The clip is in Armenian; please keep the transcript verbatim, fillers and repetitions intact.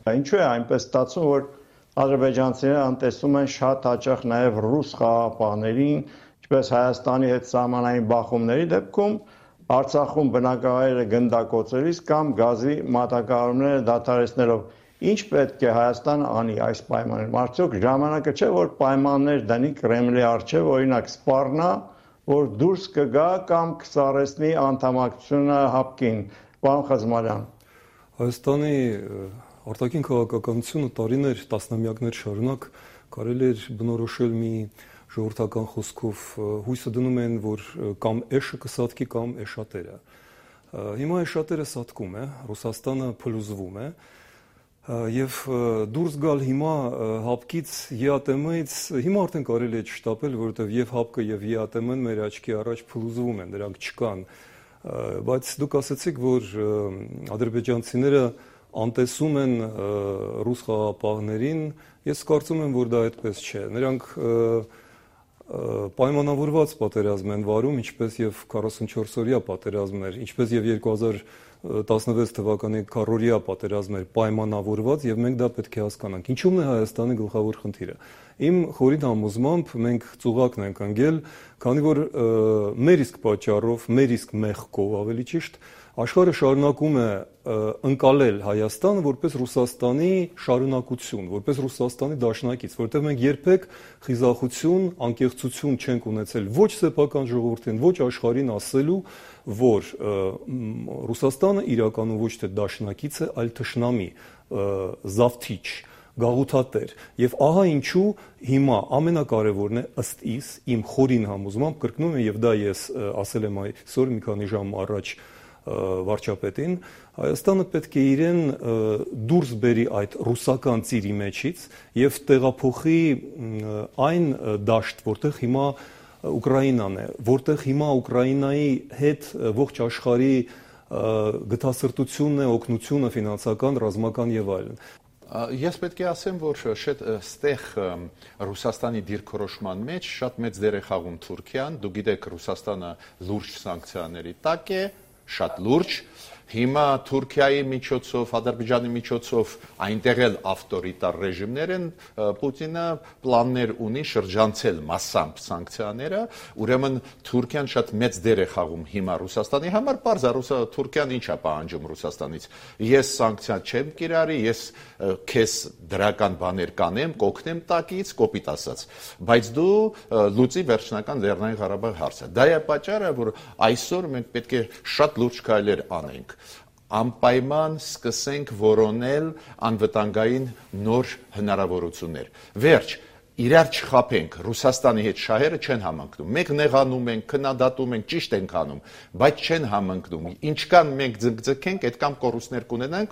Ինչու է այնպես ստացվում, որ ադրբեջանցիները անտեսում են շատ հաճախ նաև ռուս խաղաղապահներին, ինչպես Հայաստանի հետ սահմանային բախումների դեպքում, Արցախում բնակավայրերը գնդակոծելիս կամ գազի մատակարարումները դադարեցնելով։ Ինչ պետք է Հայաստանը անի այս պայմաններում։ Արդյոք ժամանակը չէ, որ պայմաններ դնի Կրեմլի առջև, օրինակ սպառնա, որ դուրս կգա կամ կսառեցնի անդամակցությունը հապկին։ Պարոն Խզմարյան։ Հայաստանի արտաքին քաղաքականությունը տարիներ, տասնամյակներ շարունակ կարելի էր բնորոշել մի ժողովրդական խոսքով, հույսը դնում են, որ կամ էշը կսատկի, կամ էշատերը։ Հիմա էշատերը սատկում է, Ռուսաստանը փլուզվում է, եւ դուրս գալ հիմա հապկից, ԵԱՏՄ-ից, հիմա արդեն կարելի է չշտապել, որովհետեւ եւ հապկը եւ ԵԱՏՄ-ն մեր աչքի առաջ փլուզվում են, դրանք չկան։ Բայց դուք ասացիք, որ ադրբեջանցիները անտեսում են ռուս խաղաղապահներին, ես կարծում եմ, որ դա այդպես չէ։ Նրանք պայմանավորված պատերազմ են վարում, ինչպես եւ քառասունչորս օրյա պատերազմներ, ինչպես եւ երկու հազար տասնվեց թվականի քառօրյա պատերազմներ պայմանավորված, եւ մենք դա պետք է հասկանանք։ Ինչու՞մն է Հայաստանի գլխավոր խնդիրը։ Իմ խորին համոզմամբ մենք ծուղակն ենք ընկել, քանի որ մեր իսկ պատճառով, մեր իսկ մեղքով ավելի ճիշտ, աշխարհը շարունակում է ընկալել Հայաստանը որպես Ռուսաստանի շարունակություն, որպես Ռուսաստանի դաշնակից, որտեղ մենք երբեք խիզախություն, անկեղծություն չենք ունեցել ոչ սեփական ժողովրդին, ոչ աշխարհին ասելու, որ Ռուսաստանը իրականում ոչ թե դաշնակից է, այլ թշնամի, զավթիչ, գաղութատեր։ Եվ ահա ինչու հիմա ամենակարևորն է ըստ իս, իմ խորին համոզմամբ, կրկնում եմ, եւ դա ես ասել եմ այսօր մի քանի ժամ առաջ վարչապետին, Հայաստանը պետք է իրեն դուրս բերի այդ ռուսական ծիրի մեջից եւ տեղափոխի այն դաշտ, որտեղ հիմա Ուկրաինան է, որտեղ հիմա Ուկրաինայի հետ ողջ աշխարհի գթասրտությունն է, օգնությունը, ֆինանսական, ռազմական եւ այլն։ Ես պետք է ասեմ, որ ստեղ Ռուսաստանի դիրքորոշման մեջ շատ մեծ դեր է խաղում Թուրքիան, դուք գիտեք Ռուսաստանը լուրջ սանկցիաների տակ է, շատ լուրջ, հիմա Թուրքիայի միջոցով, Ադրբեջանի միջոցով այնտեղ էլ ավտորիտար ռեժիմներ են, Պուտինը պլաններ ունի շրջանցել մասամբ սանկցիաները, ուրեմն Թուրքիան շատ մեծ դեր է խաղում հիմա Ռուսաստանի համար, պարզ է Թուրքիան ինչ է պահանջում Ռուսաստանից։ Ես սանկցիա չեմ կիրառի, ես քեզ դրական բաներ կանեմ, կօգնեմ տակից, կոպիտ ասած, բայց դու լուծի վերջնական Լեռնային Ղարաբաղ հարցը։ Դա է պատճառը, որ այսօր մենք պետք է շատ լուրջ քայլեր անենք։ Անպայման սկսենք որոնել անվտանգային նոր հնարավորություններ։ Վերջ, իրար չխաբենք, Ռուսաստանի հետ շահերը չեն համընկնում։ Մենք նեղանում ենք, քննադատում ենք, ճիշտ ենք անում, բայց չեն համընկնում։ Ինչքան մենք ձգձգենք, այդքան կորուստներ կունենանք,